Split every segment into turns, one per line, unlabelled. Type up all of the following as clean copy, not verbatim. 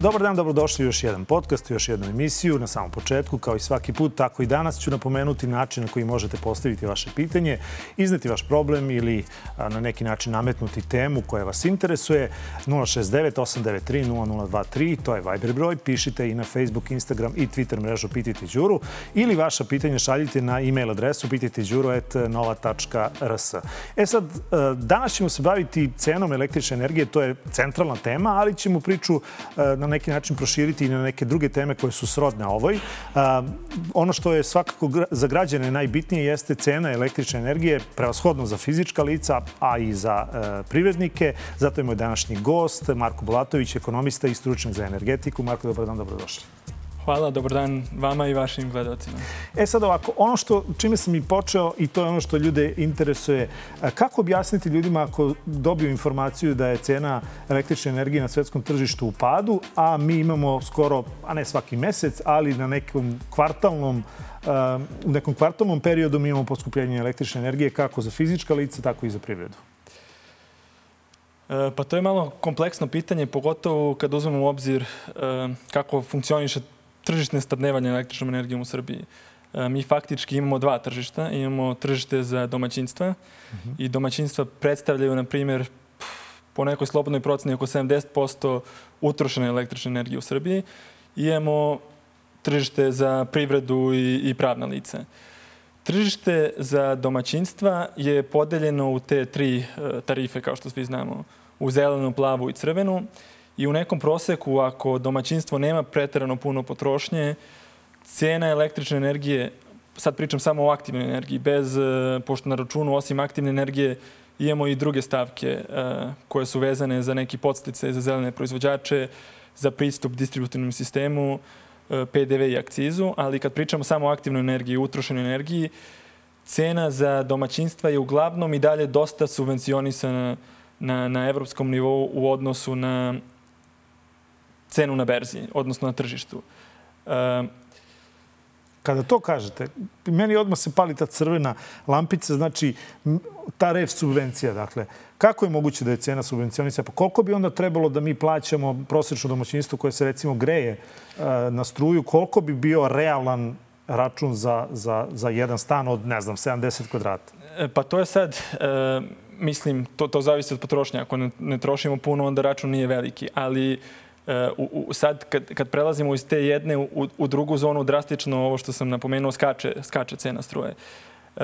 Dobar dan, dobrodošli u još jedan podcast, u još jednu emisiju. Na samom početku, kao i svaki put, tako i danas ću napomenuti način na koji možete postaviti vaše pitanje, izneti vaš problem ili na neki način nametnuti temu koja vas interesuje. 069-893-0023, to je Viber broj. Pišite i na Facebook, Instagram i Twitter mrežu Pitajte Đuru ili vaša pitanja šaljite na e-mail adresu pitajteđuro@nova.rs. Sad, danas ćemo se baviti cenom električne energije, to je centralna tema, ali ćemo priču na neki način proširiti i na neke druge teme koje su srodne ovoj. Ono što je svakako za građane najbitnije jeste cena električne energije, prevashodno za fizička lica, a i za privrednike. Zato je moj današnji gost, Marko Bulatović, ekonomista i stručnjak za energetiku. Marko, dobar dan, dobrodošli.
Hvala, dobar dan vama i vašim gledalcima.
Sad ovako, ono čime sam i počeo i to je ono što ljude interesuje, kako objasniti ljudima ako dobiju informaciju da je cena električne energije na svetskom tržištu u padu, a mi imamo skoro, a ne svaki mesec, ali na nekom kvartalnom periodu mi imamo poskupljenje električne energije kako za fizička lica, tako i za privredu?
Pa to je malo kompleksno pitanje, pogotovo kad uzmemo u obzir kako funkcioniše tržište snabdevanja električnom energijom u Srbiji. Mi faktički imamo dva tržišta. Imamo tržište za domaćinstva i domaćinstva predstavljaju, na primjer, po nekoj slobodnoj proceni oko 70% utrošene električne energije u Srbiji. I imamo tržište za privredu i pravna lica. Tržište za domaćinstva je podeljeno u te tri tarife, kao što svi znamo, u zelenu, plavu i crvenu. I u nekom proseku, ako domaćinstvo nema preterano puno potrošnje, cena električne energije, sad pričam samo o aktivnoj energiji, pošto na računu osim aktivne energije imamo i druge stavke koje su vezane za neki podsticaje za zelene proizvođače, za pristup distributivnom sistemu, PDV i akcizu, ali kad pričamo samo o aktivnoj energiji, utrošenoj energiji, cena za domaćinstva je uglavnom i dalje dosta subvencionisana na evropskom nivou u odnosu na cenu na berzi, odnosno na tržištu.
Kada to kažete, meni odmah se pali ta crvena lampica, znači ta reč subvencija, dakle, kako je moguće da je cena subvencionisana? Pa koliko bi onda trebalo da mi plaćamo prosječno domaćinstvo koje se recimo greje na struju, koliko bi bio realan račun za jedan stan od, ne znam, 70 kvadrata?
Pa to je sad, mislim, to zavisi od potrošnje. Ako ne trošimo puno, onda račun nije veliki, ali sad kad prelazimo iz te jedne u drugu zonu, drastično ovo što sam napomenuo, skače cena struje.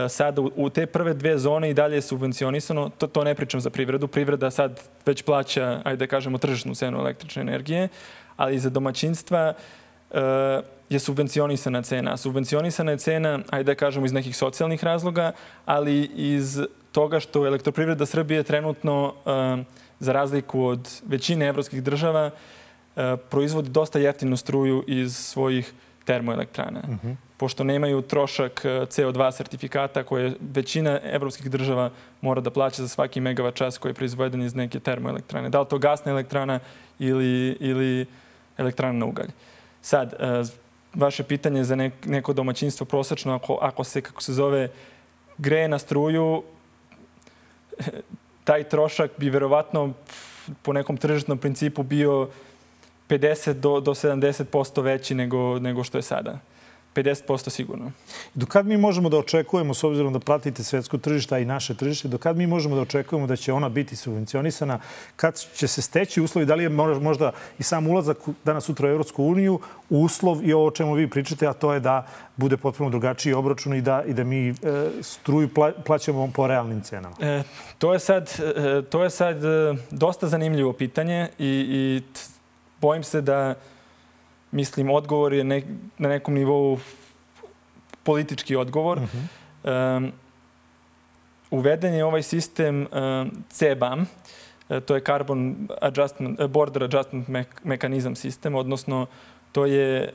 Sad u te prve dve zone i dalje je subvencionisano, to ne pričam za privredu. Privreda sad već plaća, ajde da kažemo, tržišnu cenu električne energije, ali za domaćinstva je subvencionisana cena. Subvencionisana je cena, ajde da kažemo, iz nekih socijalnih razloga, ali iz toga što Elektroprivreda Srbije trenutno, za razliku od većine evropskih država, proizvodi dosta jeftinu struju iz svojih termoelektrana. Pošto nemaju trošak CO2 sertifikata koje većina evropskih država mora da plaća za svaki megavat čas koji je proizveden iz neke termoelektrane. Da li to gasna elektrana ili elektrana na ugalj. Sad, vaše pitanje za neko domaćinstvo prosečno, ako se, kako se zove, greje na struju, taj trošak bi verovatno po nekom tržišnom principu bio 50 do 70% veći nego što je sada. 50% sigurno.
Do kad mi možemo da očekujemo, s obzirom da pratite svetsko tržište, a i naše tržište, do kad mi možemo da očekujemo da će ona biti subvencionisana, kad će se steći uslovi, da li je možda i sam ulazak danas sutra u Evropsku uniju uslov i ovo o čemu vi pričate, a to je da bude potpuno drugačiji obračun i da mi struju plaćamo po realnim cenama?
To je sad dosta zanimljivo pitanje i bojim se da, mislim, odgovor je na nekom nivou politički odgovor. Uveden je ovaj sistem CBAM, to je Border Adjustment Mechanism sistem, odnosno to je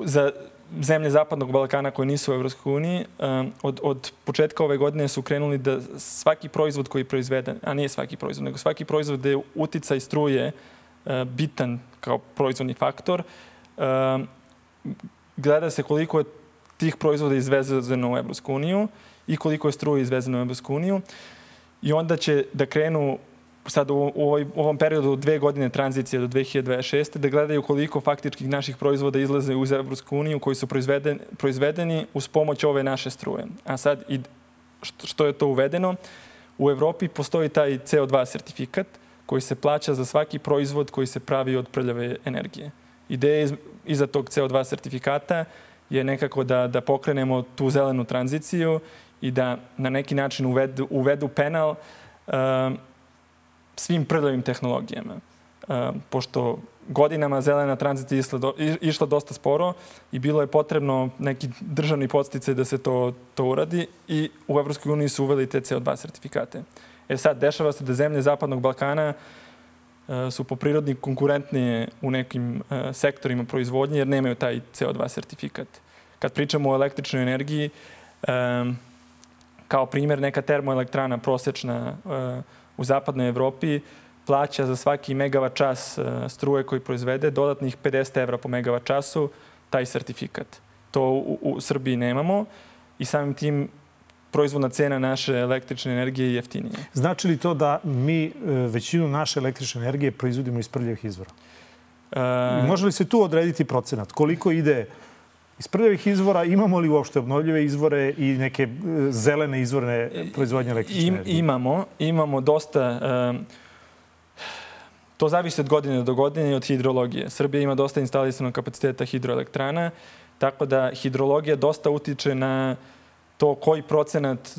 za zemlje Zapadnog Balkana koje nisu u Evropskoj uniji. Od početka ove godine su krenuli da svaki proizvod koji je proizveden, a nije svaki proizvod, nego svaki proizvod da je uticaj struje bitan kao proizvodni faktor, gleda se koliko je tih proizvoda izvezeno u Evropsku uniju i koliko je struje izvezeno u Evropsku uniju. I onda će da krenu sad u ovom periodu 2 godine tranzicije do 2026. da gledaju koliko faktičkih naših proizvoda izlaze uz Evropsku uniju koji su proizvedeni uz pomoć ove naše struje. A sad, što je to uvedeno? U Evropi postoji taj CO2 sertifikat koji se plaća za svaki proizvod koji se pravi od prljave energije. Ideja iza tog CO2 sertifikata je nekako da pokrenemo tu zelenu tranziciju i da na neki način uvedu penal svim prljavim tehnologijama. Pošto godinama zelena tranzicija išla dosta sporo i bilo je potrebno neki državni podsticaj da se to uradi i u Evropskoj uniji su uveli te CO2 sertifikate. Sad, dešava se da zemlje Zapadnog Balkana su po prirodi konkurentnije u nekim sektorima proizvodnje jer nemaju taj CO2 sertifikat. Kad pričamo o električnoj energiji, kao primjer neka termoelektrana prosječna u zapadnoj Evropi plaća za svaki megavat čas struje koji proizvede dodatnih 50 evra po megavat času taj sertifikat. To u Srbiji nemamo i samim tim proizvodna cena naše električne energije je jeftinije.
Znači li to da mi većinu naše električne energije proizvodimo iz prljavih izvora? Može li se tu odrediti procenat? Koliko ide iz prljavih izvora? Imamo li uopšte obnovljive izvore i neke zelene izvorne proizvodnje električne energije?
Imamo dosta. To zavisi od godine do godine i od hidrologije. Srbija ima dosta instalisanog kapaciteta hidroelektrana, tako da hidrologija dosta utiče na to koji procenat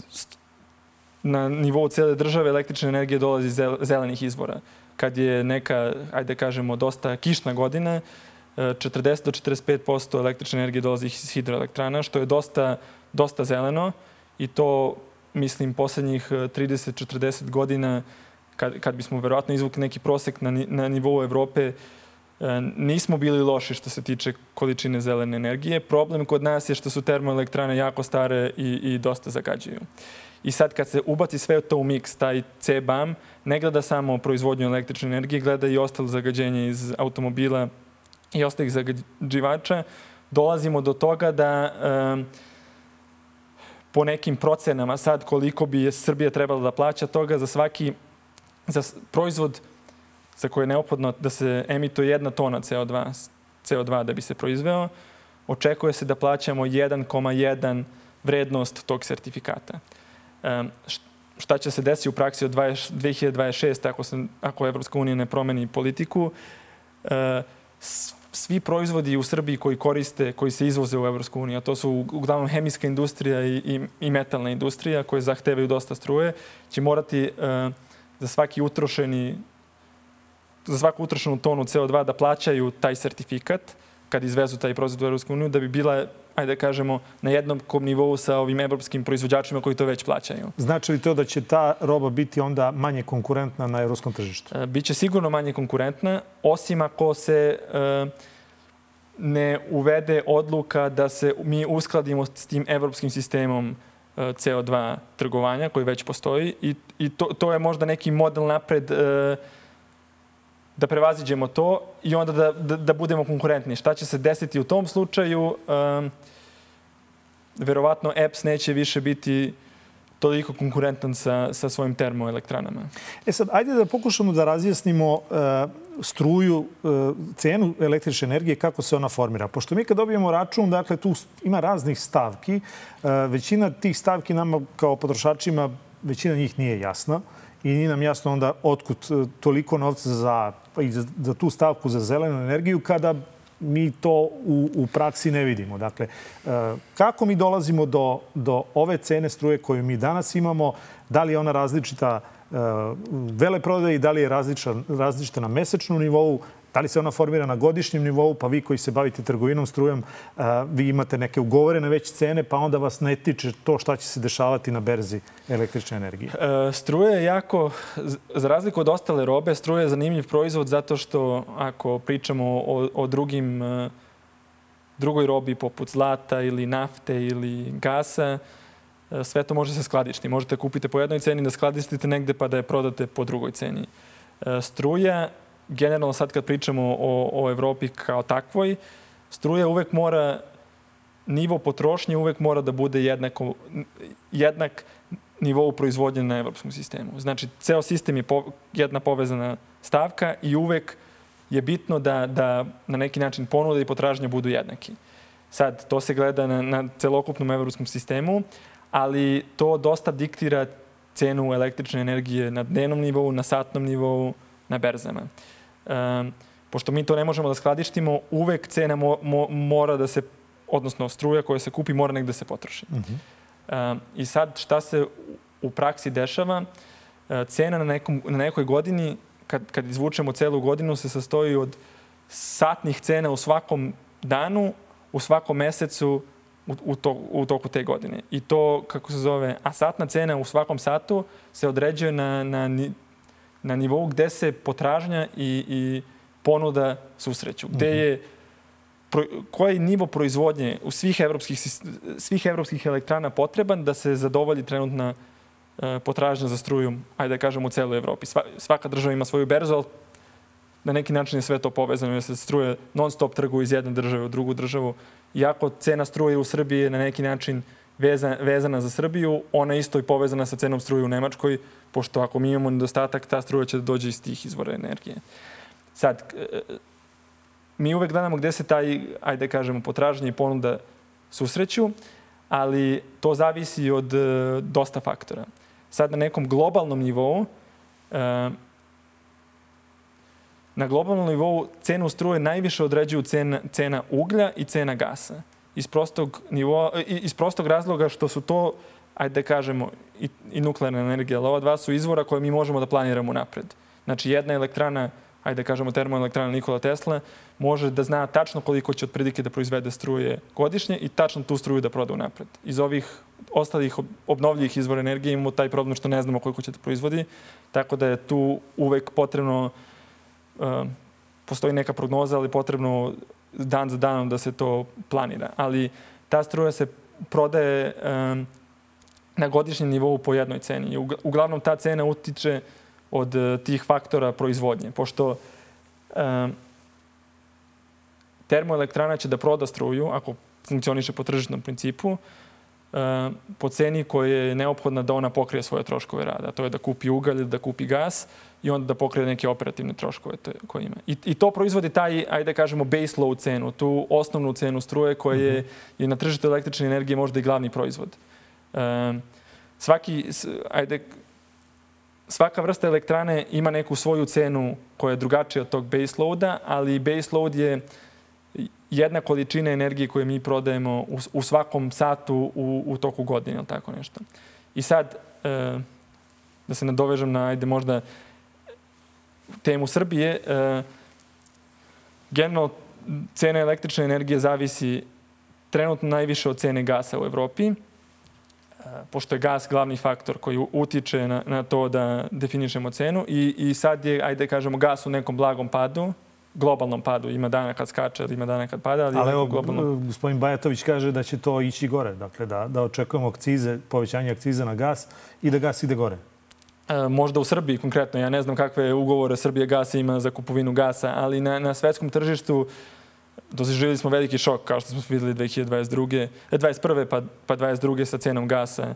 na nivou cijele države električne energije dolazi iz zelenih izvora. Kad je neka, ajde kažemo, dosta kišna godina, 40 do 45% električne energije dolazi iz hidroelektrana, što je dosta zeleno i to, mislim, poslednjih 30-40 godina, kad bismo verovatno izvukli neki prosek na nivou Evrope, nismo bili loši što se tiče količine zelene energije. Problem kod nas je što su termoelektrane jako stare i dosta zagađuju. I sad kad se ubaci sve to u miks, taj CBAM ne gleda samo proizvodnju električne energije, gleda i ostalo zagađenje iz automobila i ostalih zagađivača, dolazimo do toga da po nekim procenama sad koliko bi Srbija trebala da plaća toga za proizvod za koje je neophodno da se emituje 1 tona CO2 da bi se proizveo, očekuje se da plaćamo 1,1 vrednost tog sertifikata. Šta će se desiti u praksi od 2026. ako Evropska unija ne promeni politiku? Svi proizvodi u Srbiji koji se izvoze u Evropsku uniju, a to su uglavnom hemijska industrija i metalna industrija koje zahtevaju dosta struje, će morati za svaku utrošenu tonu CO2 da plaćaju taj sertifikat kad izvezu taj proizvod u Evropsku uniju, da bi bila, ajde da kažemo, na jednakom nivou sa ovim evropskim proizvođačima koji to već plaćaju.
Znači li to da će ta roba biti onda manje konkurentna na evropskom tržištu?
Biće sigurno manje konkurentna, osim ako se ne uvede odluka da se mi uskladimo s tim evropskim sistemom CO2 trgovanja koji već postoji i to je možda neki model napred da prevaziđemo to i onda da budemo konkurentni. Šta će se desiti u tom slučaju? Verovatno EPS neće više biti toliko konkurentan sa svojim termoelektranama.
Sad, ajde da pokušamo da razjasnimo struju, cenu električne energije, kako se ona formira. Pošto mi kad dobijemo račun, dakle, tu ima raznih stavki. Većina tih stavki nama kao potrošačima, većina njih nije jasna. I nije nam jasno onda otkud toliko novca za tu stavku za zelenu energiju kada mi to u praksi ne vidimo. Dakle, kako mi dolazimo do ove cene struje koju mi danas imamo? Da li je ona različita veleprodaji, da li je različita na mesečnom nivou, da li se ona formira na godišnjem nivou, pa vi koji se bavite trgovinom strujom, vi imate neke ugovorene već cene, pa onda vas ne tiče to šta će se dešavati na berzi električne energije.
Struja je jako, za razliku od ostale robe, struja je zanimljiv proizvod zato što ako pričamo o drugoj robi poput zlata ili nafte ili gasa, sve to može se skladištiti. Možete kupiti po jednoj ceni, da skladištite negde pa da je prodate po drugoj ceni. Struja, generalno sad kad pričamo o Evropi kao takvoj, struja uvek mora, nivo potrošnje uvek mora da bude jednak nivou proizvodnje na evropskom sistemu. Znači, ceo sistem je jedna povezana stavka i uvek je bitno da na neki način ponuda i potražnja budu jednaki. Sad, to se gleda na celokupnom evropskom sistemu, ali to dosta diktira cenu električne energije na dnevnom nivou, na satnom nivou, na berzama. Pošto mi to ne možemo da skladištimo, uvek cena mora da se, odnosno struja koja se kupi mora negde da se potroši. I sad šta se u praksi dešava? Cena na nekoj godini, kad izvučemo celu godinu, se sastoji od satnih cena u svakom danu, u svakom mesecu u toku te godine. I to, kako se zove, a satna cena u svakom satu se određuje na nivou gde se potražnja i ponuda susreću. Gde je koji je nivo proizvodnje u svih evropskih elektrana potreban da se zadovolji trenutna potražnja za strujom, ajde da kažem, u celoj Evropi. Svaka država ima svoju berzu, ali na neki način je sve to povezano, jer se struje non-stop trguje iz jedne države u drugu državu. Iako cena struje u Srbiji je na neki način vezana za Srbiju, ona isto i povezana sa cenom struje u Nemačkoj, pošto ako mi imamo nedostatak, ta struja će da dođe iz tih izvora energije. Sad, mi uvek gledamo gde se taj, ajde da kažemo, potražnja i ponuda susreću, ali to zavisi od dosta faktora. Sad na nekom globalnom nivou, na globalnom nivou cenu struje najviše određuju cena uglja i cena gasa. Iz prostog razloga što su to, ajde da kažemo, i nuklearna energija, ali ova dva su izvora koje mi možemo da planiramo napred. Znači, jedna elektrana, ajde da kažemo termoelektrana Nikola Tesla, može da zna tačno koliko će otprilike da proizvede struje godišnje i tačno tu struju da proda unapred. Iz ovih ostalih obnovljivih izvora energije imamo taj problem što ne znamo koliko će da proizvodi, tako da je tu uvek potrebno, postoji neka prognoza, ali potrebno dan za danom da se to planira. Ali ta struja se prodaje na godišnjem nivou po jednoj ceni. Uglavnom ta cena utiče od tih faktora proizvodnje, pošto termoelektrana će da proda struju, ako funkcioniše po tržišnom principu, po ceni koja je neophodna da ona pokrije svoje troškove rada. To je da kupi ugalj, da kupi gas i onda da pokrije neke operativne troškove koje ima. I to proizvodi taj, ajde da kažemo, base load cenu, tu osnovnu cenu struje koja je na tržištu električne energije možda i glavni proizvod. Svaka vrsta elektrane ima neku svoju cenu koja je drugačija od tog base loada, ali base load je jedna količina energije koju mi prodajemo u svakom satu u toku godine ili tako nešto. I sad, da se nadovežem na, ajde možda, temu Srbije, generalno cena električne energije zavisi trenutno najviše od cene gasa u Evropi, pošto je gas glavni faktor koji utiče na to da definišemo cenu i sad je, ajde da kažemo, gas u nekom blagom padu, globalnom padu. Ima dana kad skače, ima dana kad pada.
Ali evo, gospodin Bajatović kaže da će to ići gore. Dakle, da očekujemo akcize, povećanje akciza na gas i da gas ide gore.
Možda u Srbiji konkretno. Ja ne znam kakve ugovore Srbija gasa ima za kupovinu gasa, ali na svetskom tržištu doživjeli smo veliki šok, kao što smo videli 2021. pa 2022. sa cenom gasa.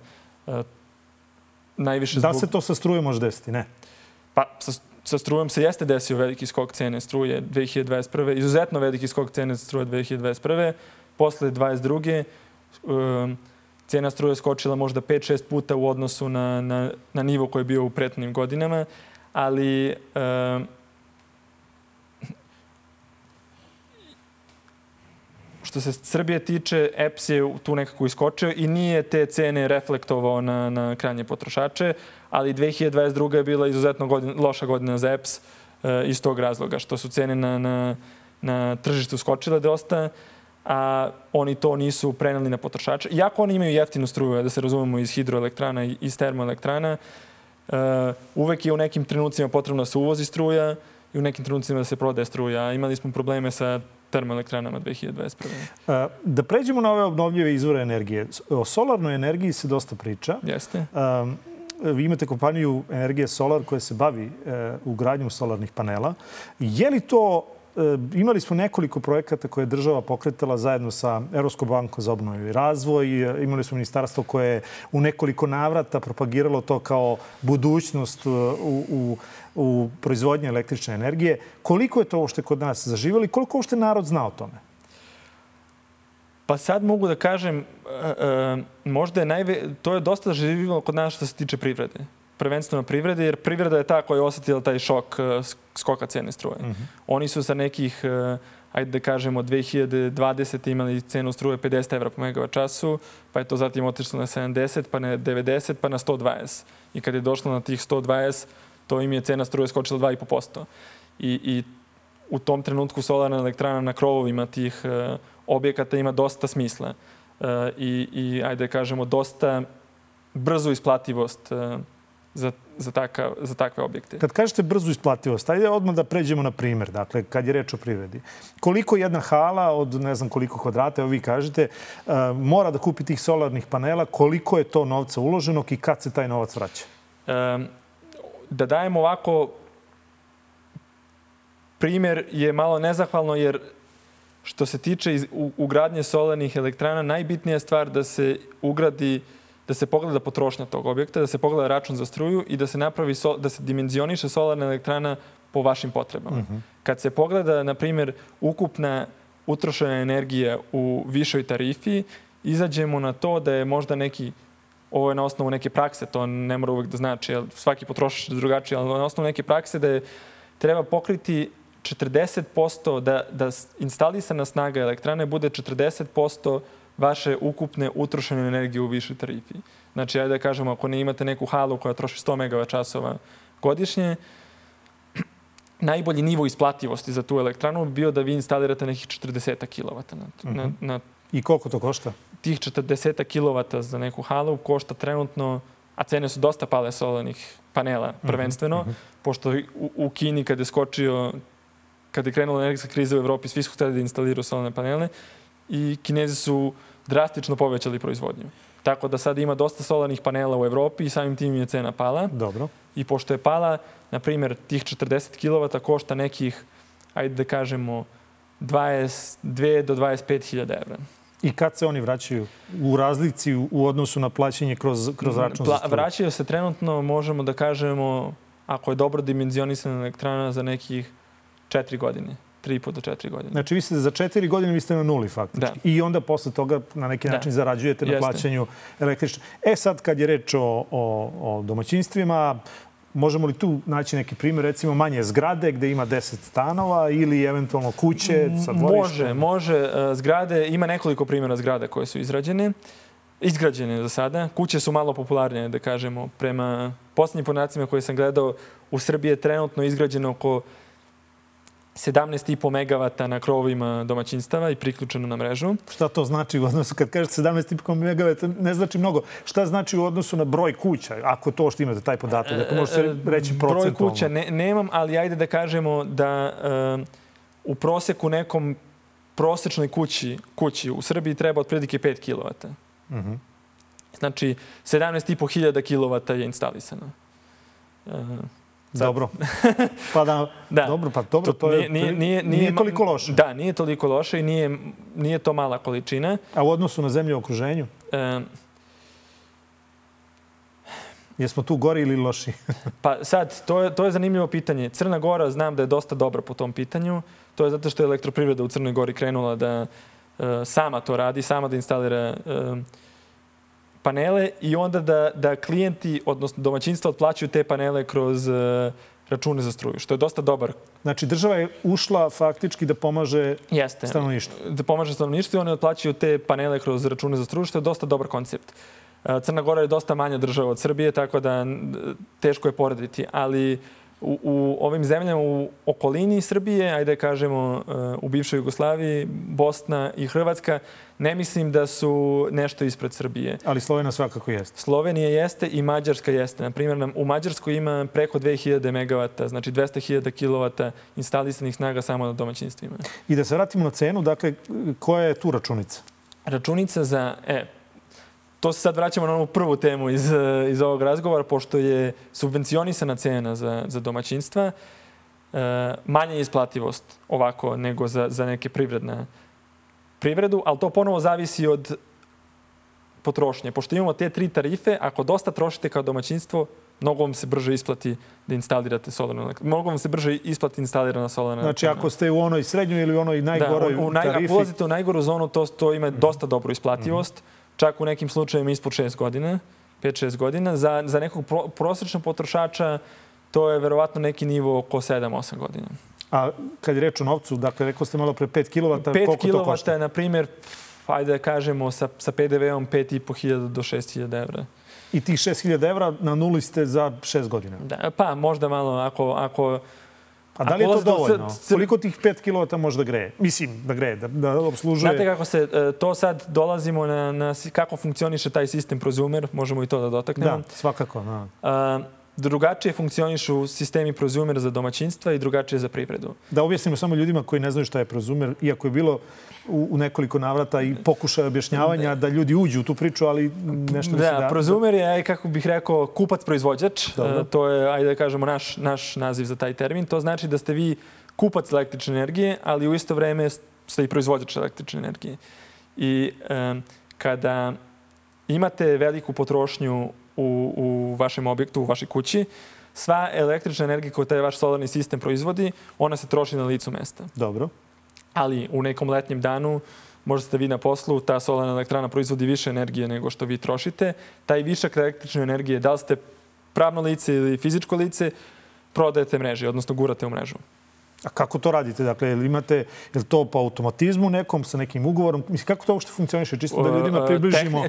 Najviše
da se to sa strujom može desiti, ne?
Pa sa strujom se jeste desio veliki skok cene struje 2021. Izuzetno veliki skok cene struje 2021. Posle 2022. Cena struje skočila možda 5-6 puta u odnosu na nivo koji je bio u prethodnim godinama, ali što se Srbije tiče, EPS je tu nekako iskočio i nije te cene reflektovao na krajnje potrošače, ali 2022. je bila izuzetno loša godina za EPS iz tog razloga, što su cene na tržištu skočile dosta, a oni to nisu preneli na potrošače. Iako oni imaju jeftinu struju, da se razumemo, iz hidroelektrana i iz termoelektrana, uvek je u nekim trenucima potrebno da se uvozi struja i u nekim trenucima da se prodaje struja. Imali smo probleme sa termoelektranama 2021.
Da pređemo na ove obnovljive izvore energije. O solarnoj energiji se dosta priča.
Jeste.
Vi imate kompaniju Energija Solar koja se bavi ugradnjom solarnih panela. Je li to imali smo nekoliko projekata koje je država pokretala zajedno sa Evropskom bankom za obnovu i razvoj. Imali smo ministarstvo koje je u nekoliko navrata propagiralo to kao budućnost u proizvodnji električne energije. Koliko je to uopšte kod nas zaživjelo i koliko uopšte narod zna o tome?
Pa sad mogu da kažem, možda to je dosta zaživjelo kod nas što se tiče privrede. Prvenstveno privrede, jer privreda je ta koja je osjetila taj šok skoka cene struje. Oni su sa nekih, ajde da kažemo, 2020. imali cenu struje 50 evra po megavat času, pa je to zatim otišlo na 70, pa na 90, pa na 120. I kad je došlo na tih 120, to im je cena struje skočila 2,5%. I u tom trenutku solarna elektrana na krovovima tih objekata ima dosta smisla. I ajde da kažemo, dosta brzu isplativost za takve objekte.
Kad kažete brzu isplativost, ajde odmah da pređemo na primjer. Dakle, kad je reč o privredi. Koliko jedna hala od ne znam koliko kvadrata, evo vi kažete, mora da kupi tih solarnih panela, koliko je to novca uloženog i kad se taj novac vraća?
Da dajemo ovako, primjer je malo nezahvalno jer što se tiče ugradnje solarnih elektrana, najbitnija stvar da se ugradi, da se pogleda potrošnja tog objekta, da se pogleda račun za struju i da se napravi, da se dimenzioniše solarna elektrana po vašim potrebama. Kad se pogleda, na primjer, ukupna utrošena energija u višoj tarifi, izađemo na to da je možda neki, ovo je na osnovu neke prakse, to ne mora uvek da znači, svaki potrošač je drugačiji, ali na osnovu neke prakse da je treba pokriti 40%, da instalisana snaga elektrane bude 40% vaše ukupne utrošene energije u višoj tarifi. Znači, ajde da kažemo, ako ne imate neku halu koja troši 100 megavat časova godišnje, najbolji nivo isplativosti za tu elektranu bi bio da vi instalirate nekih 40 kilovata.
I koliko to košta?
Tih 40 kilovata za neku halu košta trenutno, a cene su dosta pale solarnih panela prvenstveno, pošto u Kini kad je krenula energetska kriza u Evropi, svi su hteli da instaliraju solarne panele i Kinezi su drastično povećali proizvodnju. Tako da sad ima dosta solarnih panela u Evropi i samim tim je cena pala.
Dobro.
I pošto je pala, na primjer, tih 40 kilovata košta nekih, ajde da kažemo, 22 do 25.000 evra.
I kad se oni vraćaju u razlici u odnosu na plaćanje kroz račun za struju?
Vraćaju se trenutno, možemo da kažemo, ako je dobro dimenzionisana elektrana, za nekih 4 godine. 3,5 do 4 godine.
Znači, vi ste za 4 godine vi ste na nuli faktički.
Da.
I onda posle toga na neki način zarađujete na plaćanju električne. Sad kad je reč o domaćinstvima, možemo li tu naći neki primjer, recimo manje zgrade gde ima 10 stanova ili eventualno kuće sa dvorištem?
Može. Zgrade, ima nekoliko primjera zgrada koje su izgrađene za sada. Kuće su malo popularnije, da kažemo. Prema posljednjim podacima koje sam gledao, u Srbiji je trenutno izgrađeno oko 17,5 megavata na krovovima domaćinstava i priključeno na mrežu.
Šta to znači u odnosu, kad kažete 17,5 megavata, ne znači mnogo. Šta znači u odnosu na broj kuća, ako to što imate taj podatak? Ako možete reći procentualno.
Broj kuća nemam, ali ajde da kažemo da u proseku nekom prosečnoj kući u Srbiji treba otprilike 5 kilovata. Znači, 17.500 kilovata je instalisano.
Dobro. Dobro, to nije toliko loše.
Da, nije toliko loše i nije to mala količina.
A u odnosu na zemlje u okruženju? Jesmo tu gori ili loši?
Pa sad, to je zanimljivo pitanje. Crna Gora znam da je dosta dobra po tom pitanju. To je zato što je elektroprivreda u Crnoj Gori krenula da sama to radi, sama da instalira panele i onda da klijenti, odnosno domaćinstva, otplaćuju te panele kroz račune za struju, što je dosta dobar.
Znači, država je ušla faktički da pomaže stanovništvu.
Da pomaže stanovništvu i oni otplaćuju te panele kroz račune za struju, što je dosta dobar koncept. Crna Gora je dosta manja država od Srbije, tako da teško je porediti, ali u ovim zemljama u okolini Srbije, ajde kažemo u bivšoj Jugoslaviji, Bosna i Hrvatska, ne mislim da su nešto ispred Srbije.
Ali Slovenija svakako jeste.
Slovenija jeste i Mađarska jeste. Na primjer, u Mađarskoj ima preko 2000 megavata, znači 200.000 kilovata instalisanih snaga samo na domaćinstvima.
I da se vratimo na cenu, dakle, koja je tu računica?
Računica za... To se sad vraćamo na onu prvu temu iz ovog razgovora, pošto je subvencionisana cena za domaćinstva. manja isplativost ovako nego za neke privredu, ali to ponovo zavisi od potrošnje. Pošto imamo te 3 tarife, ako dosta trošite kao domaćinstvo, mnogo vam se brže isplati da instalirate solarnu elektranu. Mnogo vam se brže isplati instalirana solarna elektrana.
Znači, ako ste u onoj srednjoj ili u onoj najgoroj tarifi...
Ako ulazite u najgoru zonu, to ima dosta dobru isplativost. Čak u nekim slučajevima ispod 6 godina, 5-6 godina. Za nekog prosječnog potrošača to je verovatno neki nivo oko 7-8 godina.
A kad je reč o novcu, dakle, rekao ste malo pre 5 kW,
5
koliko to košta?
5 kW je, na primjer, ajde da kažemo, sa PDV-om 5.500 do 6.000 evra.
I tih 6.000 evra na nuli ste za 6 godina?
Da, pa možda malo ako
A da li je to dovoljno? Koliko tih 5 kW može da greje? Mislim, da greje, da obslužuje...
Znate kako se, to sad dolazimo na kako funkcioniše taj sistem prozumer, možemo i to da dotaknemo.
Da, svakako. Da.
Drugačije funkcionišu sistemi prozumera za domaćinstva i drugačije za privredu.
Da objasnimo samo ljudima koji ne znaju šta je prozumer, iako je bilo u nekoliko navrata i pokušaja objašnjavanja da ljudi uđu u tu priču, ali nešto misli da...
Prozumer je, kako bih rekao, kupac-proizvođač. To je, ajde da kažemo, naš naziv za taj termin. To znači da ste vi kupac električne energije, ali u isto vreme ste i proizvođač električne energije. I kada imate veliku potrošnju u vašem objektu, u vašoj kući, sva električna energija koju taj vaš solarni sistem proizvodi, ona se troši na licu mesta.
Dobro.
Ali u nekom letnjem danu, možda ste vi na poslu, ta solarna elektrana proizvodi više energije nego što vi trošite. Taj višak električne energije, da li ste pravno lice ili fizičko lice, prodajete mreži, odnosno gurate u mrežu.
A kako to radite? Dakle, je li to po automatizmu nekom, sa nekim ugovorom? Mislim, kako to uopšte funkcioniše? Čisto da ljudima približimo.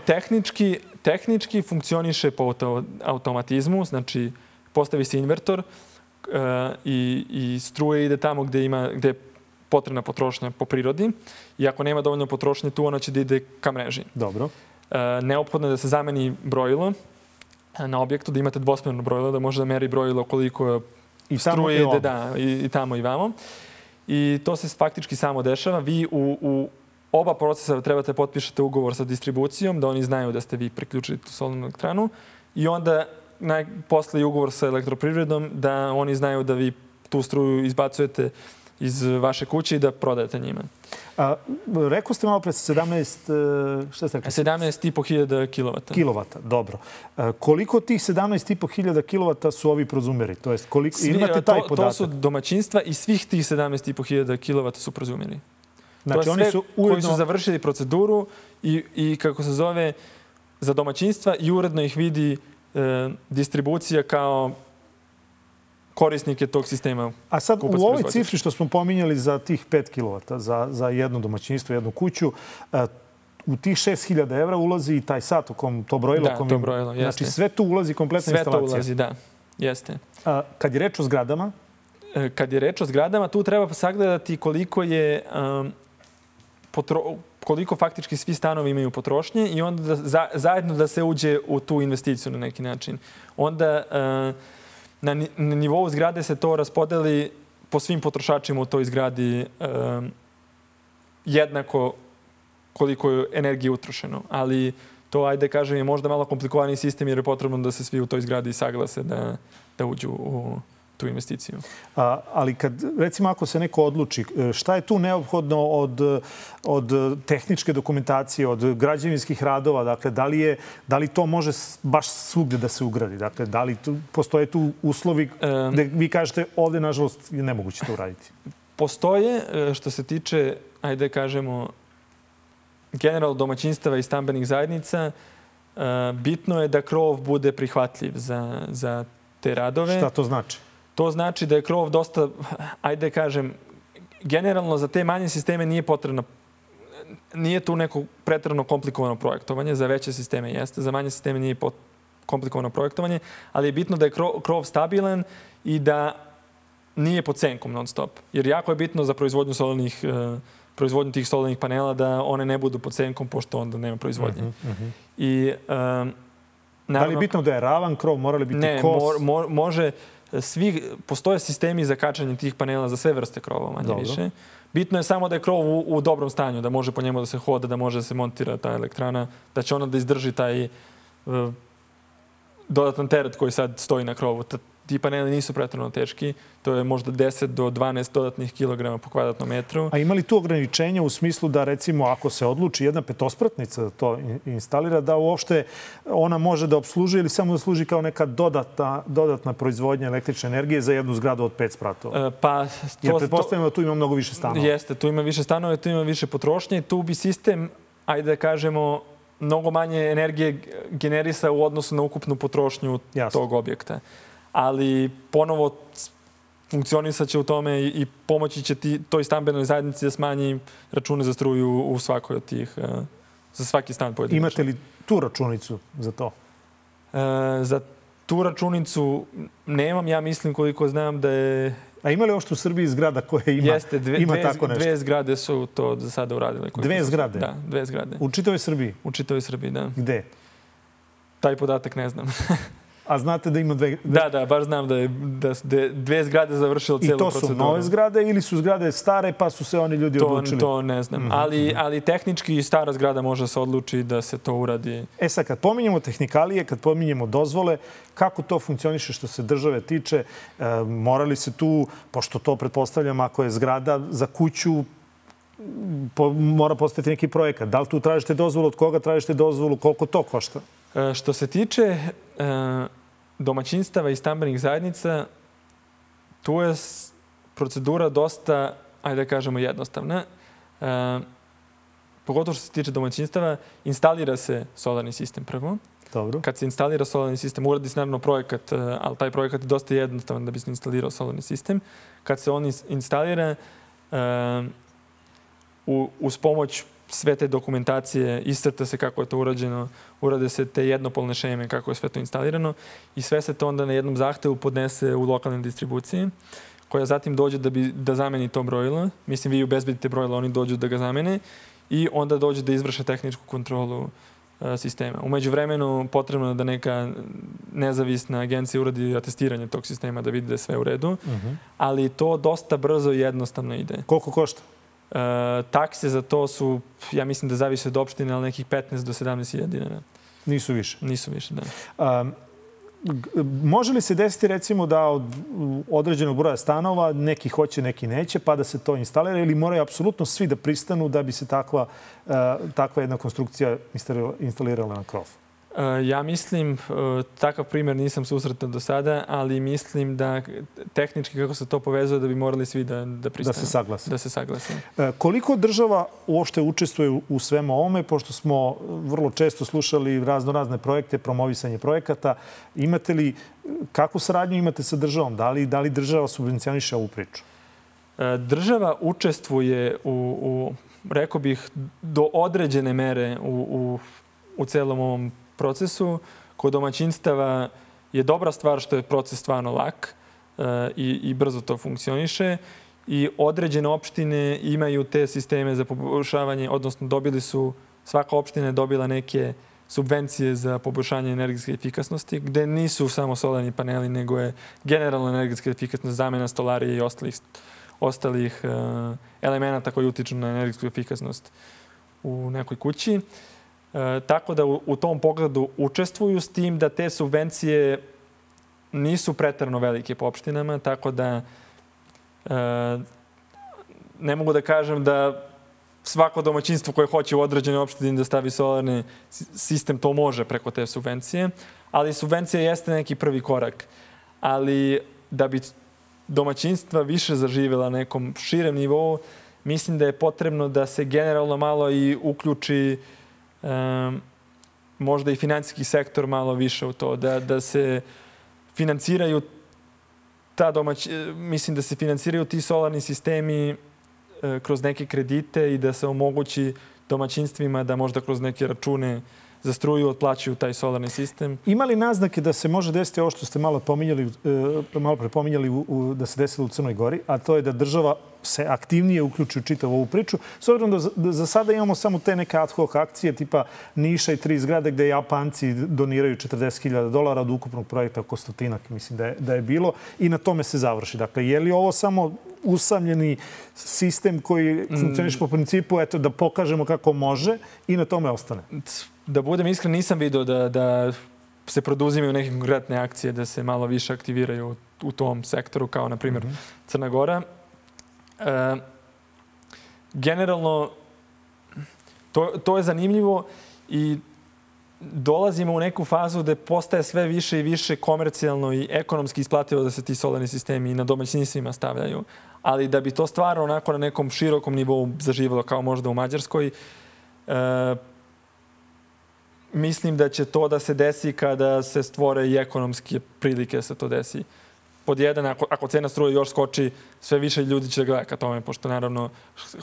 Tehnički funkcioniše po automatizmu, znači postavi se invertor i struje ide tamo gde je potrebna potrošnja po prirodi. I ako nema dovoljno potrošnje tu, ona će da ide ka mreži.
Dobro.
Neophodno je da se zameni brojilo na objektu, da imate dvosmerno brojilo, da može da meri brojilo koliko struje ide i tamo i vamo. I to se faktički samo dešava. Vi u oba procesa trebate potpišete ugovor sa distribucijom, da oni znaju da ste vi priključili tu solarnu elektranu i onda posle ugovor sa elektroprivredom da oni znaju da vi tu struju izbacujete iz vaše kuće i da prodajete njima.
Rekao ste malo pre
17.500 kilovata.
Kilovata, dobro. Koliko tih 17.500 kilovata su ovi prozumeri? To jest, imate taj podatak?
To su domaćinstva i svih tih 17.500 kilovata su prozumeri.
Znači,
to je sve koji su završili proceduru i kako se zove, za domaćinstva i uredno ih vidi distribucija kao korisnike tog sistema.
A sad u ovoj cifri što smo pominjali za tih 5 kW za jedno domaćinstvo, jednu kuću, u tih 6.000 evra ulazi i taj sat u kom to brojilo.
Da, to brojilo, jeste.
Znači sve tu ulazi kompletna instalacija.
Sve to ulazi, da. Jeste.
Kad je reč o zgradama?
Kad je reč o zgradama, tu treba sagledati koliko faktički svi stanovi imaju potrošnje i onda zajedno da se uđe u tu investiciju na neki način. Onda na nivou zgrade se to raspodeli po svim potrošačima u toj zgradi jednako koliko je energije utrošeno. Ali to, ajde kažem, je možda malo komplikovaniji sistem jer je potrebno da se svi u toj zgradi saglase da uđu u tu investiciju.
Ali recimo ako se neko odluči, šta je tu neophodno od tehničke dokumentacije, od građevinskih radova? Dakle, da li to može baš svugde da se ugradi? Dakle, da li postoje tu uslovi gde vi kažete ovde, nažalost, je nemoguće to uraditi?
Postoje, što se tiče, ajde kažemo, generalno domaćinstava i stambenih zajednica, bitno je da krov bude prihvatljiv za te radove.
Šta to znači?
To znači da je krov dosta, ajde kažem, generalno za te manje sisteme nije potrebno, nije tu neko preterano komplikovano projektovanje, za veće sisteme jeste, za manje sisteme nije komplikovano projektovanje, ali je bitno da je krov stabilan i da nije pod senkom non stop. Jer jako je bitno za proizvodnju tih solarnih panela da one ne budu pod senkom, pošto onda nema proizvodnje. I,
da li je bitno da je ravan krov, mora li biti kos?
Ne, može. Postoje sistemi za kačanje tih panela za sve vrste krova, manje više. Bitno je samo da je krov u dobrom stanju, da može po njemu da se hoda, da može da se montira ta elektrana, da će ona da izdrži taj dodatan teret koji sad stoji na krovu. ti paneli nisu pretjerano teški. To je možda 10 do 12 dodatnih kilograma po kvadratnom metru.
A ima li tu ograničenja u smislu da, recimo, ako se odluči jedna petospratnica da to instalira, da uopšte ona može da obsluži ili samo da služi kao neka dodatna proizvodnja električne energije za jednu zgradu od 5 spratova? Jer pretpostavljamo da tu ima mnogo više stanova.
Jeste, tu ima više stanova, tu ima više potrošnje i tu bi sistem, ajde da kažemo, mnogo manje energije generisa u odnosu na ukupnu potrošnju tog objekta. Ali ponovo funkcionisat će u tome i pomoći će toj stambenoj zajednici da smanji račune za struju u svakoj od tih, za svaki stan pojedinačno.
Imate li tu računicu za to?
Za tu računicu nemam. Ja mislim, koliko znam, da je...
A ima li uopšte u Srbiji zgrada koja ima tako nešto?
Dve zgrade su to za sada uradile.
Dve zgrade?
Da, 2 zgrade.
U čitavoj Srbiji?
U čitavoj Srbiji, da.
Gde?
Taj podatak ne znam.
A znate da ima dve...
Da, baš znam da je 2 zgrade završilo cijelu proceduru.
I to su nove zgrade ili su zgrade stare pa su se oni ljudi odlučili?
To ne znam. Ali tehnički stara zgrada može se odluči da se to uradi.
Sad, kad pominjemo tehnikalije, kad pominjemo dozvole, kako to funkcioniše što se države tiče? Morali se tu, pošto to pretpostavljam, ako je zgrada za kuću, mora postaviti neki projekat. Da li tu tražite dozvolu, od koga tražite dozvolu, koliko to košta?
Što se tiče domaćinstava i stambenih zajednica, tu je procedura dosta, ajde da kažemo, jednostavna. Pogotovo što se tiče domaćinstava, instalira se solarni sistem prvo.
Dobro.
Kad se instalira solarni sistem, uradi se naravno projekat, ali taj projekat je dosta jednostavan da bi se instalirao solarni sistem. Kad se on instalira, uz pomoć sve te dokumentacije, iscrta se kako je to urađeno, urade se te jednopolne šeme kako je sve to instalirano i sve se to onda na jednom zahtevu podnese u lokalnoj distribuciji, koja zatim dođe da zameni to brojilo. Mislim, vi obezbedite brojilo, oni dođu da ga zamene i onda dođe da izvrše tehničku kontrolu sistema. U međuvremenu potrebno je da neka nezavisna agencija uradi atestiranje tog sistema da vidi da je sve u redu, ali to dosta brzo i jednostavno ide.
Koliko košta?
Takse za to su, ja mislim da zavise od opštine, ali nekih 15 do 17.000 dinara.
Nisu više?
Nisu više, da.
Može li se desiti, recimo, da od određenog broja stanova neki hoće, neki neće, pa da se to instalira ili moraju apsolutno svi da pristanu da bi se takva jedna konstrukcija instalirala na krov?
Ja mislim, takav primjer nisam susretao do sada, ali mislim da tehnički kako se to povezuje da bi morali svi da pristanu.
Da se saglase.
Da se saglase.
Koliko država uopšte učestvuje u svemu ovome, pošto smo vrlo često slušali razne projekte, promovisanje projekata. Imate li, kakvu saradnju imate sa državom? Da li država subvencioniše ovu priču?
Država učestvuje rekao bih, do određene mere u celom ovom procesu. Kod domaćinstava je dobra stvar što je proces stvarno lak i brzo to funkcioniše. I određene opštine imaju te sisteme za poboljšavanje, odnosno svaka opština je dobila neke subvencije za poboljšanje energetske efikasnosti, gde nisu samo solarni paneli, nego je generalna energetska efikasnost, zamena stolarije i ostalih elemenata koji utiču na energetsku efikasnost u nekoj kući. Tako da u tom pogledu učestvuju, s tim da te subvencije nisu preterano velike po opštinama, tako da ne mogu da kažem da svako domaćinstvo koje hoće u određenoj opštini da stavi solarni sistem to može preko te subvencije, ali subvencija jeste neki prvi korak. Ali da bi domaćinstva više zaživjela na nekom širem nivou, mislim da je potrebno da se generalno malo i uključi možda i finansijski sektor malo više u to, da se financiraju mislim da se financiraju ti solarni sistemi kroz neke kredite i da se omogući domaćinstvima da možda kroz neke račune za struju otplaćuju taj solarni sistem.
Ima li naznake da se može desiti ovo što ste malo pre pominjali da se desilo u Crnoj Gori, a to je da država se aktivnije uključi u čitavu ovu priču, s obzirom da za sada imamo samo te neke ad hoc akcije tipa Niša i 3 zgrade gde Japanci doniraju $40.000 od ukupnog projekta oko 100, mislim da je bilo, i na tome se završi. Dakle, je li ovo samo usamljeni sistem koji funkcioniše po principu da pokažemo kako može i na tome ostane?
Da budem iskren, nisam vidio da se produzimaju neke konkretne akcije da se malo više aktiviraju u tom sektoru, kao na primjer Crna Gora. Generalno, to je zanimljivo i dolazimo u neku fazu da postaje sve više i više komercijalno i ekonomski isplativo da se ti solarni sistemi i na domaćinstvima stavljaju. Ali da bi to stvarno onako na nekom širokom nivou zaživjelo kao možda u Mađarskoj, mislim da će to da se desi kada se stvore i ekonomske prilike da se to desi. Pod jedan, ako cena struje još skoči, sve više ljudi će da gleda ka tome, pošto naravno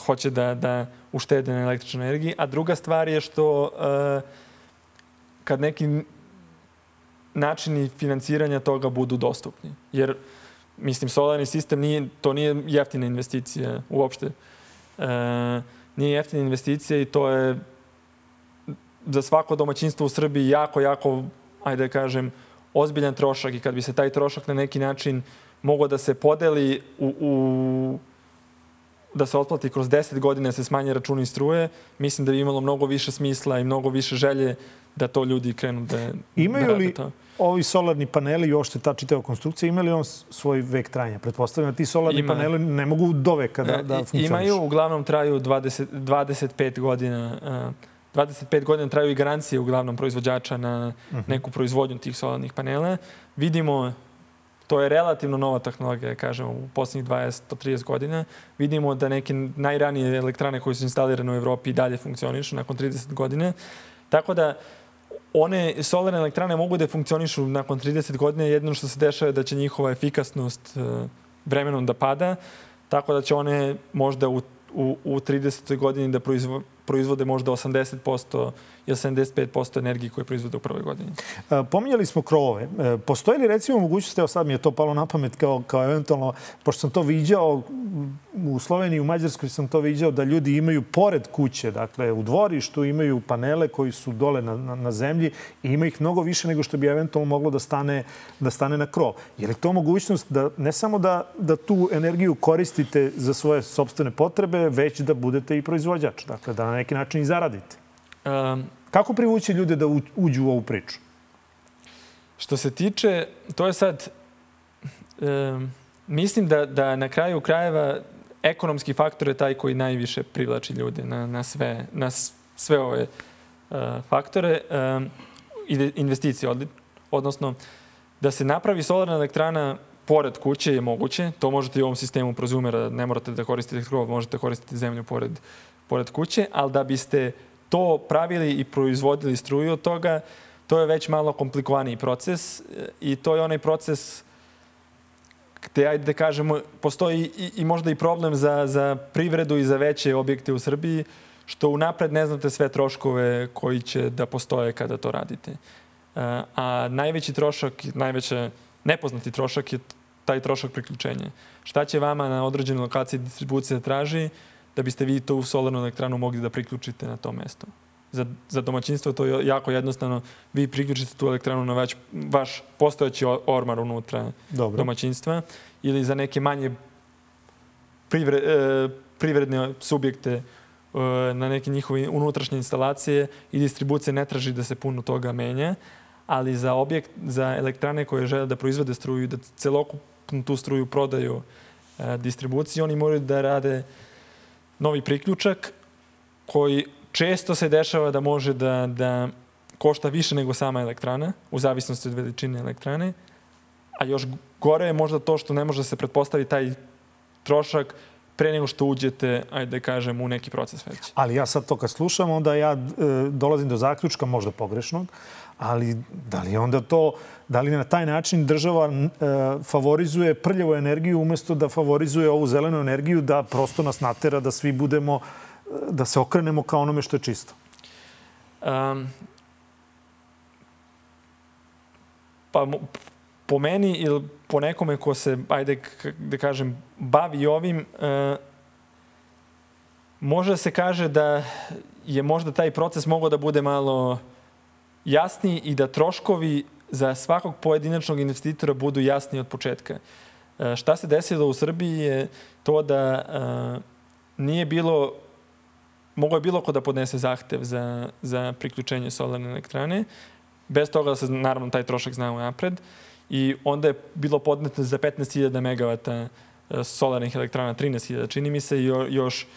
hoće da uštede na električnoj energiji. A druga stvar je što kad neki načini financiranja toga budu dostupni. Jer, mislim, solarni sistem to nije jeftina investicija uopšte. Nije jeftina investicija i to je za svako domaćinstvo u Srbiji jako, ajde da kažem, ozbiljan trošak i kad bi se taj trošak na neki način mogao da se podeli da se otplati kroz 10 godina, se smanje računi struje, mislim da bi imalo mnogo više smisla i mnogo više želje da to ljudi krenu da rade to.
Imaju li ovi solarni paneli i uopšte ta čitava konstrukcija, imaju li on svoj vek trajanja? Pretpostavljam da ti solarni paneli ne mogu do veka da funkcionišu.
Imaju, uglavnom traju 25 godina. 25 godina traju i garancije uglavnom proizvođača na neku proizvodnju tih solarnih panela. Vidimo, to je relativno nova tehnologija, kažemo, u posljednjih 20-30 godina. Vidimo da neke najranije elektrane koje su instalirane u Evropi i dalje funkcionišu nakon 30 godina. Tako da one solarne elektrane mogu da funkcionišu nakon 30 godina. Jedino što se dešava je da će njihova efikasnost vremenom da pada. Tako da će one možda u 30. godini da proizvode možda 80% ili 75% energije koje proizvode u prvoj godini.
Pominjali smo krovove. Postoji li recimo mogućnost, evo sad mi je to palo na pamet kao eventualno, pošto sam to viđao u Sloveniji i u Mađarskoj sam to viđao da ljudi imaju pored kuće, dakle u dvorištu imaju panele koji su dole na zemlji i ima ih mnogo više nego što bi eventualno moglo da stane na krov. Je li to mogućnost da ne samo da tu energiju koristite za svoje sopstvene potrebe, već da budete i proizvođač, dakle da na neki način i zaradite? Kako privući ljude da uđu u ovu priču?
Što se tiče, to je sad, mislim da na kraju krajeva ekonomski faktor je taj koji najviše privlači ljude na sve ove faktore. Investicije, odnosno da se napravi solarna elektrana pored kuće je moguće. To možete i u ovom sistemu prozumera, ne morate da koristite krov, možete koristiti zemlju pored kuće, ali da biste to pravili i proizvodili struju od toga, to je već malo komplikovaniji proces i to je onaj proces gde, ajde da kažemo, postoji i možda i problem za privredu i za veće objekte u Srbiji, što unapred ne znate sve troškove koji će da postoje kada to radite. A najveći trošak, najveći nepoznati trošak je taj trošak priključenja. Šta će vama na određenoj lokaciji distribucija traži da biste vi tu solarnu elektranu mogli da priključite na to mesto? Za domaćinstvo to je jako jednostavno. Vi priključite tu elektranu na vaš postojeći ormar unutra domaćinstva ili za neke manje privredne subjekte na neke njihove unutrašnje instalacije i distribucija ne traži da se puno toga menja, ali za elektrane koje žele da proizvode struju i da celokupnu tu struju prodaju distribuciji, oni moraju da rade novi priključak koji često se dešava da može da košta više nego sama elektrana, u zavisnosti od veličine elektrane, a još gore je možda to što ne može da se pretpostavi taj trošak pre nego što uđete, ajde da kažem, u neki proces već.
Ali ja sad to kad slušam, onda ja dolazim do zaključka, možda pogrešnog, ali da li na taj način država favorizuje prljavu energiju umjesto da favorizuje ovu zelenu energiju, da prosto nas natera da svi budemo, da se okrenemo kao onome što je čisto?
Pa po meni ili po nekome ko se, ajde da kažem, bavi ovim, može se kaže da je možda taj proces mogao da bude malo jasniji i da troškovi za svakog pojedinačnog investitora budu jasniji od početka. Šta se desilo u Srbiji je to da nije bilo, mogo je bilo ko da podnese zahtev za priključenje solarne elektrane, bez toga da se naravno taj trošak zna unapred. I onda je bilo podneto za 15.000 megavata solarnih elektrana, 13.000 čini mi se, i još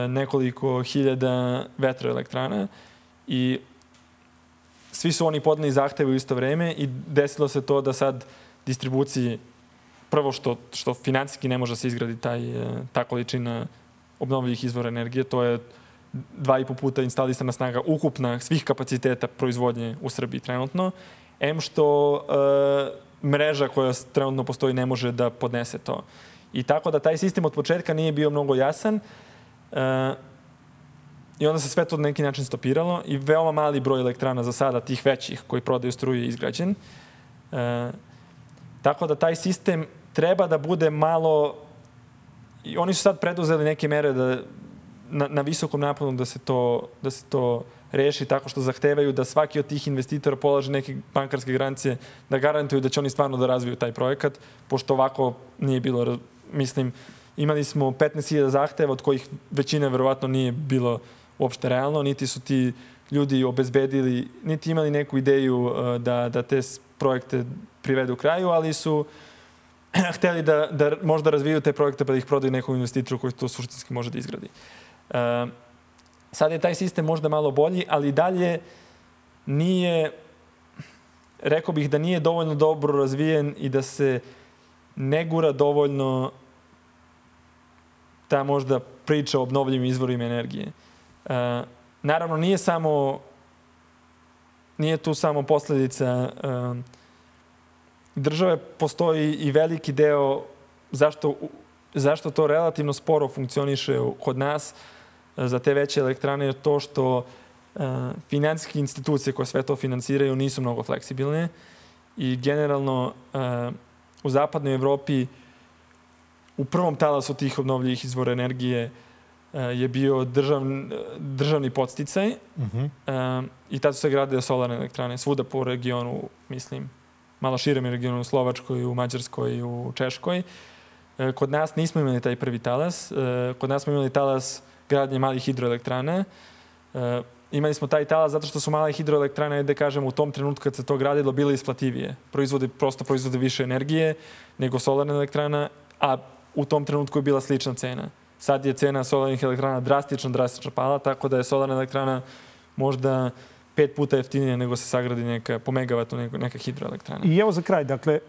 nekoliko hiljada vetroelektrana. I svi su oni podneli zahteve u isto vreme i desilo se to da sad distribuciji, prvo što finansijski ne može da se izgradi ta količina obnovljivih izvora energije, to je 2,5 puta instalisana snaga ukupna svih kapaciteta proizvodnje u Srbiji trenutno. Što mreža koja trenutno postoji ne može da podnese to. I tako da taj sistem od početka nije bio mnogo jasan i onda se sve to na neki način stopiralo i veoma mali broj elektrana za sada, tih većih koji prodaju struju, je izgrađen. Tako da taj sistem treba da bude malo... I oni su sad preduzeli neke mere da na visokom naponu da se to reši tako što zahtevaju da svaki od tih investitora polaže neke bankarske garancije da garantuju da će oni stvarno da razviju taj projekat, pošto ovako nije bilo. Mislim, imali smo 15.000 zahteva, od kojih većina verovatno nije bilo uopšte realno, niti su ti ljudi obezbedili, niti imali neku ideju da te projekte privedu kraju, ali su hteli da možda razviju te projekte pa da ih prodaju nekom investitoru koji to suštinski može da izgradi. Sad je taj sistem možda malo bolji, ali dalje nije, rekao bih da nije dovoljno dobro razvijen i da se ne gura dovoljno ta možda priča o obnovljivim izvorima energije. Naravno, nije tu samo posledica države, postoji i veliki deo zašto to relativno sporo funkcioniše kod nas za te veće elektrane, je to što finansijske institucije koje sve to finansiraju nisu mnogo fleksibilne i generalno u zapadnoj Evropi u prvom talasu tih obnovljivih izvora energije je bio državni podsticaj i tad su se gradile solarne elektrane svuda po regionu, mislim, malo širem regionu, u Slovačkoj, u Mađarskoj, u Češkoj. Kod nas nismo imali taj prvi talas. Kod nas smo imali talas gradnje malih hidroelektrana. Imali smo taj talas zato što su male hidroelektrane, da kažem, u tom trenutku kad se to gradilo, bile isplativije. Proizvode više energije nego solarna elektrana, a u tom trenutku je bila slična cena. Sad je cena solarnih elektrana drastično pala, tako da je solarna elektrana možda 5 puta jeftinije nego se sagradi po megavatu neka hidroelektrana.
I evo za kraj, dakle,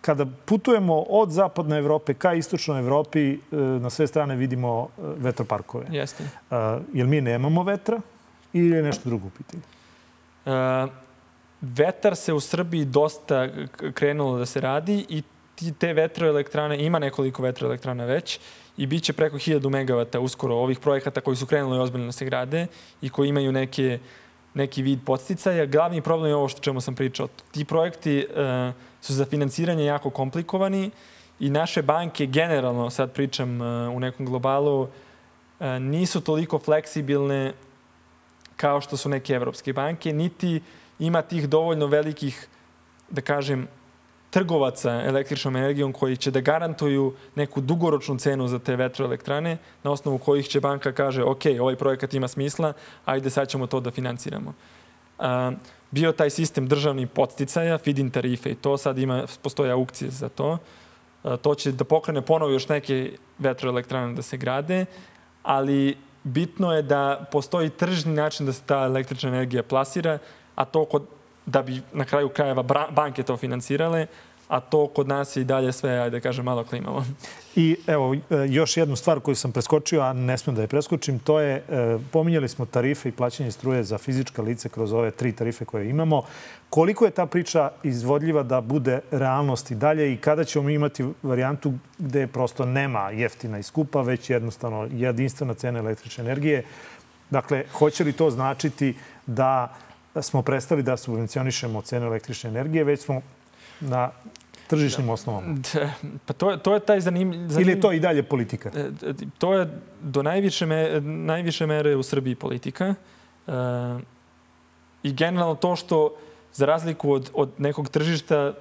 kada putujemo od zapadne Evrope ka istočnoj Evropi, na sve strane vidimo vetroparkove.
Jeste.
Jel mi nemamo vetra ili je nešto drugo u pitanju?
Vetar se u Srbiji dosta krenulo da se radi i te vetroelektrane, ima nekoliko vetroelektrana već i bit će preko 1000 megavata uskoro ovih projekata koji su krenuli ozbiljno da se grade i koji imaju neki vid podsticaja. Glavni problem je ovo što čemu sam pričao. Ti projekti su za finansiranje jako komplikovani i naše banke generalno, sad pričam u nekom globalu, nisu toliko fleksibilne kao što su neke evropske banke, niti ima tih dovoljno velikih, da kažem, trgovaca električnom energijom koji će da garantuju neku dugoročnu cenu za te vetroelektrane, na osnovu kojih će banka kaže ok, ovaj projekat ima smisla, ajde sad ćemo to da finansiramo. Bio taj sistem državnih podsticaja, feed-in tarife i to, sad postoje aukcije za to. To će da pokrene ponovo još neke vetroelektrane da se grade, ali bitno je da postoji tržni način da se ta električna energija plasira, a to da bi na kraju krajeva banke to finansirale, a to kod nas je i dalje sve, ajde da kažem, malo klimavo.
I evo, još jednu stvar koju sam preskočio, a ne smem da je preskočim, to je, pominjali smo tarife i plaćanje struje za fizička lice kroz ove 3 tarife koje imamo. Koliko je ta priča izvodljiva da bude realnost i dalje i kada ćemo imati varijantu gde prosto nema jeftina i skupa, već jednostavno jedinstvena cena električne energije? Dakle, hoće li to značiti da smo prestali da subvencionišemo cenu električne energije, već smo na tržišnim osnovama?
Pa to je taj zanimljiv...
Ili je to i dalje politika?
To je do najviše mere u Srbiji politika. I generalno to što, za razliku od nekog tržišta,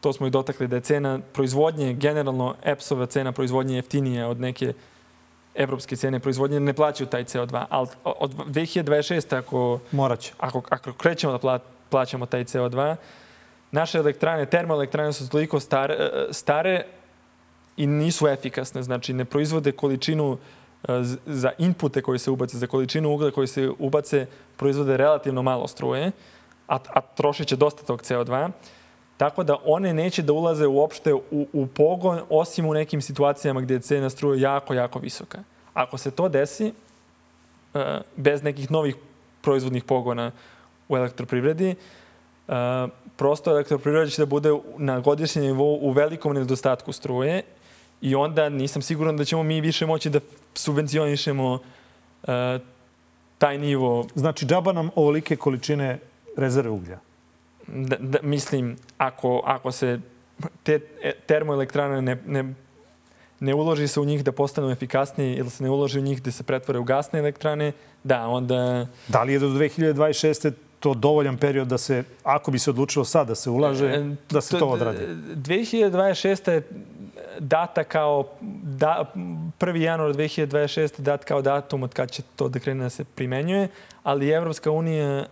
to smo i dotakli, da je cena proizvodnje, generalno EPS-ova cena proizvodnje jeftinija od neke evropske cene proizvodnje, ne plaćaju taj CO2. Ali od 2026. ako krećemo da plaćamo taj CO2. Naše elektrane, termoelektrane su toliko stare i nisu efikasne. Znači, ne proizvode količinu za inpute koji se ubace, za količinu uglja koji se ubace, proizvode relativno malo struje, a trošit će dosta tog CO2. Tako da one neće da ulaze uopšte u pogon, osim u nekim situacijama gdje je cena struje jako, jako visoka. Ako se to desi, bez nekih novih proizvodnih pogona u elektroprivredi, prosto elektroprivreda će da bude na godišnjem nivou u velikom nedostatku struje i onda nisam siguran da ćemo mi više moći da subvencionišemo taj nivo.
Znači, džaba nam ovolike količine rezerve uglja?
Mislim, ako se te termoelektrane ne uloži se u njih da postanu efikasnije ili se ne uloži u njih da se pretvore u gasne elektrane, da, onda...
Da li je do 2026. to dovoljan period da se, ako bi se odlučilo sad da se ulaže, da se to odradi?
2026. je data kao 1. januar 2026. dat kao datum od kad će to da krene da se primenjuje, ali Evropska unija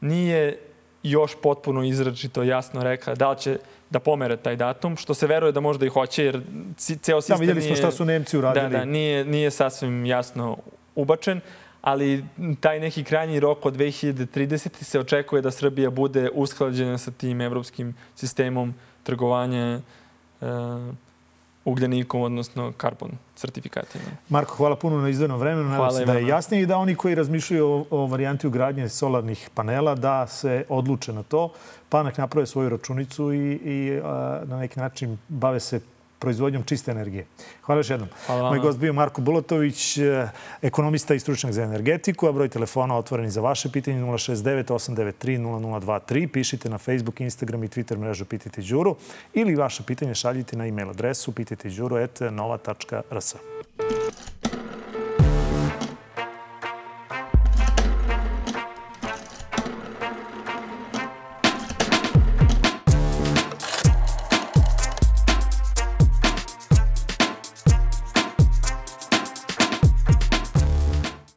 nije još potpuno izračito jasno rekla da li će da pomere taj datum, što se veruje da možda i hoće, jer ceo sistem nije...
vidjeli smo šta su Nemci uradili.
Da, nije sasvim jasno ubačen, ali taj neki krajnji rok od 2030. se očekuje da Srbija bude usklađena sa tim evropskim sistemom trgovanja ugljenikom, odnosno karbon sertifikatima.
Marko, hvala puno na izdvojenom vremenu. Nadam se da je jasnije i da oni koji razmišljaju o varijanti ugradnje solarnih panela da se odluče na to, pa nek naprave svoju računicu i na neki način bave se proizvodnjom čiste energije. Hvala još jednom. Moj gost bio Marko Bulatović, ekonomista i stručnjak za energetiku, a broj telefona otvoreni za vaše pitanje 069 893 0023. Pišite na Facebook, Instagram i Twitter mrežu Pitajte Đuru ili vaše pitanje šaljite na e-mail adresu pitajteđuru@nova.rs.